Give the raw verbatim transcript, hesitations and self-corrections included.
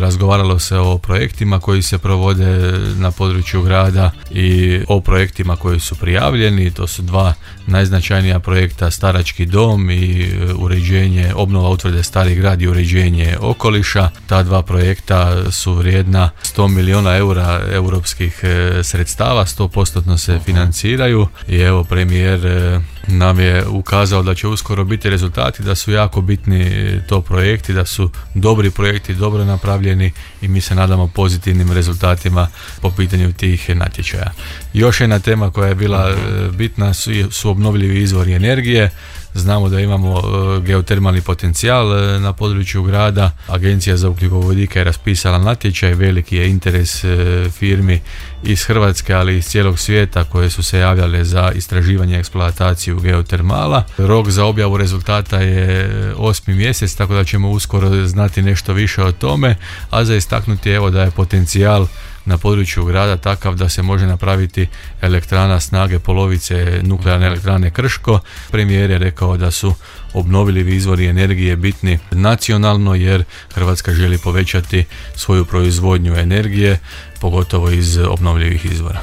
razgovaralo se o projektima koji se provode na području grada i o projektima koji su prijavljeni. To su dva najznačajnija projekta, Starački dom i uređenje, obnova utvrde Stari grad i uređenje okoliša. Ta dva projekta su vrijedna sto milijuna eura europskih sredstava, sto posto se financiraju i evo premijer nam je ukazao da će uskoro biti rezultati, da su jako bitni to projekti, da su dobri projekti, dobro napravljeni i mi se nadamo pozitivnim rezultatima po pitanju tih natječaja. Još jedna tema koja je bila bitna su, su obnovljivi izvori energije. Znamo da imamo geotermalni potencijal na području grada. Agencija za ugljikovodike je raspisala natječaj, veliki je interes firmi iz Hrvatske, ali i iz cijelog svijeta koje su se javljale za istraživanje i eksploataciju geotermala. Rok za objavu rezultata je osmi mjesec, tako da ćemo uskoro znati nešto više o tome, a za istaknuti evo da je potencijal na području grada takav da se može napraviti elektrana snage polovice nuklearne elektrane Krško. Premijer je rekao da su obnovljivi izvori energije bitni nacionalno jer Hrvatska želi povećati svoju proizvodnju energije, pogotovo iz obnovljivih izvora.